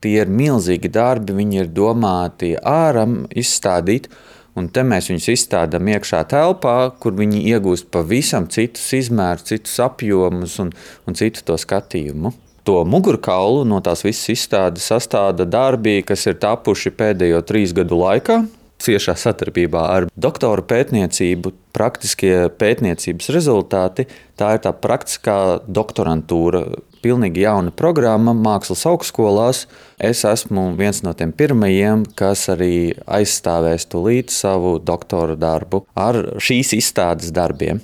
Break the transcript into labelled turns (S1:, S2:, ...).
S1: Tie ir milzīgi darbi, viņi ir domāti āram izstādīt, un te mēs viņus izstādām iekšā telpā, kur viņi iegūst pavisam citus izmērus, citus apjomus un citu to skatījumu. To mugurkaulu no tās visas izstādes sastāda darbi, kas ir tapuši pēdējo 3 gadu laikā. Ciešā sadarbībā ar doktora pētniecību, praktiskie pētniecības rezultāti, tā ir tā praktiskā doktorantūra, pilnīgi jauna programma mākslas augstskolās. Es esmu viens no tiem pirmajiem, kas arī aizstāvēs tūlīt savu doktora darbu ar šīs izstādes darbiem.